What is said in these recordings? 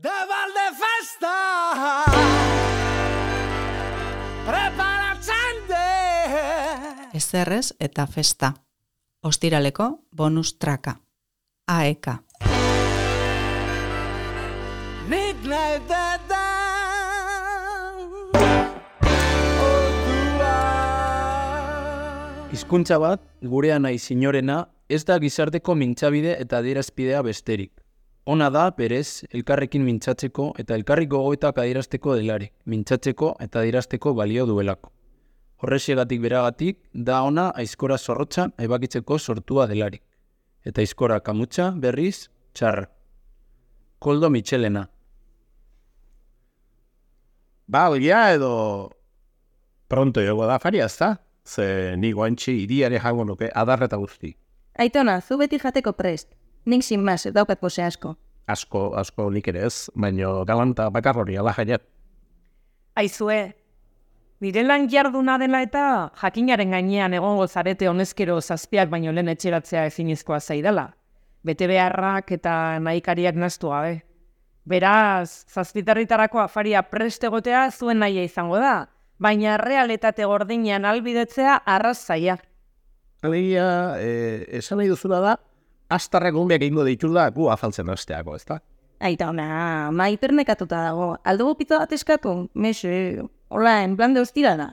De Valdefesta preparatzen de Ezerrez eta festa. Ostiraleko bonus traka. AEK. Nik nahi deda Hizkuntza bat, gurea nahi sinorena, ez da gizarteko mintzabide eta adierazpidea besterik. Ona da, berez, elkarrekin mintzatzeko eta elkarrik gogoetak adierazteko delarik, mintzatzeko eta adierazteko balio duelako. Horrexegatik beragatik, da ona aizkora zorrotza ebakitzeko sortua delarik. Eta aizkora kamutsa, berriz, txarra. Koldo Mitxelena. Ba, oia edo pronto jogo da faria, ezta? Ze ni guantxi iriare jango nuke adarreta guzti. Aitona, zu beti jateko prest. Nik sin mas, daukat pose asko. Asko nik ere ez, baino galanta bakarrori ala jaiat. Aizue, nire lan jarduna dela eta jakinaren gainean egongo zarete honezkero zazpiak baino lehen etxeratzea ezinezkoa zaidala. Bete beharrak eta nahikariak naztu gabe. Beraz, zazpitarritarako afaria prest egotea zuen nahia izango da, baina realitate gordinean albidetzea arrazaia. Alegia, esan nahi duzuna da, astarrak gumbiak egingo ditula gu afaltzen hasteako, ezta? Aitona, maipernekatuta dago. Aldugu pizza bat eskatu? Mexe, hola, en plan de hostira da.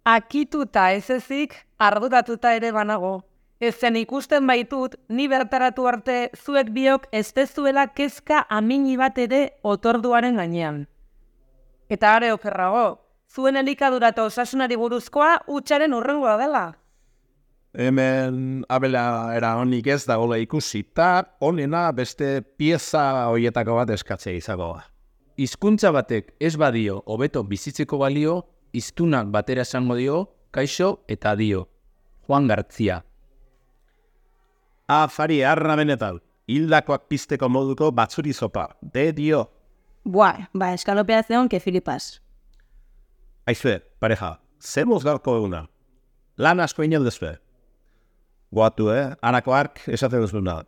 Akituta ez ezik, arduratuta ere banago. Ezen ikusten baitut, ni bertaratu arte zuek biok ez tezuela kezka amini bat ere otorduaren gainean. Eta are okerrago, zuen elikadura eta osasunari buruzkoa hutsaren hurrengoa dela. Hemen abela era honik ez dagoela ikusi, eta honena beste pieza horietako bat eskatzea izango da. Hizkuntza batek ez badio hobeto bizitzeko balio, hiztunak batera esango dio, kaixo eta dio. Juan Gartzia. Afari arra benetan, hildakoak pizteko moduko batzuri zopa, de dio. Buah, ba, eskalopea zeon que filipas. Aizue, pareja, zer mozgarko eguna? Lan asko inen dezue. Goatu, anako ark esaten duzuna.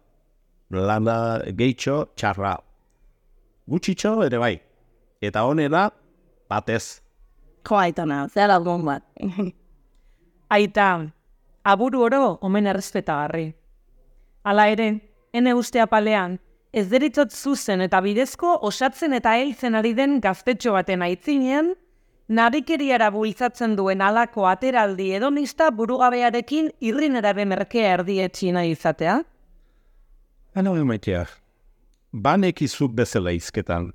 Lana gehitxo txarra. Gutxitxo ere bai. Eta honela, batez. Jo, Aitona, zera algon bat. Aita, aburu oro omen errespetagarri. Hala ere, ene uste apalean, ez deritzot zuzen eta bidezko osatzen eta heltzen ari den gaztetxo baten aitzinean, narikeriara bultzatzen duen halako ateraldi hedonista burugabearekin irrinera merkea erdietxina izatea? Hano emaitea, banekizu bezala izketan,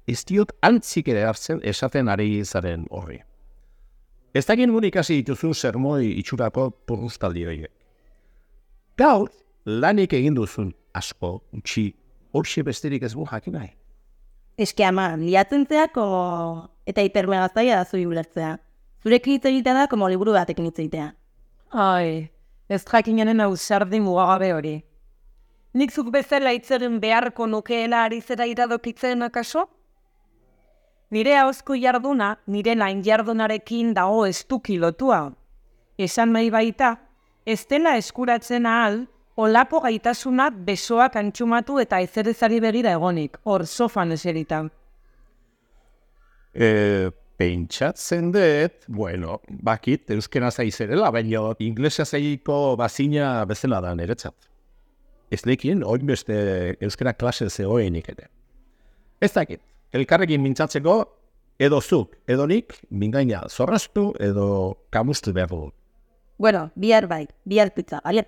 ez diot antzik ere hartzen esaten ari zaren horri. Ez dakien gure ikasi dituzu sermoi itxurako porrustaldi horiek. Gaur, lanik egin duzun asko, utxi, horxe besterik ez bu jakin nahi. Eske ama, liatzen zeako eta hipermegaztaia da zui ulertzea. Zurekin hitz egitea da, como liburu batekin hitz egitea. Ai, ez jakinenen ausardi mugagabe hori. Nik zuk bezala hitzeren beharko nukeela ari zera iradokitzen akaso? Nire ahozko jarduna, nire lain jardunarekin dago estuki lotua. Esan nahi baita, ez dela eskuratzen ahal, olako gaitasuna besoak antxumatu eta ezerezari berira egonik, hor sofan eserita. Pentsatzen dut, bueno, bakit, euskena zaizerela, baina inglesa zaiko bazina bezala da niretzat. Ez lekien, hori beste euskera klase zegoenik ere. Ez dakit, elkarrekin mintzatzeko, edo zuk, edo nik, mingaina zorraztu edo kamustu behar dugu. Bueno, bihar bai, bihar pizza, bale?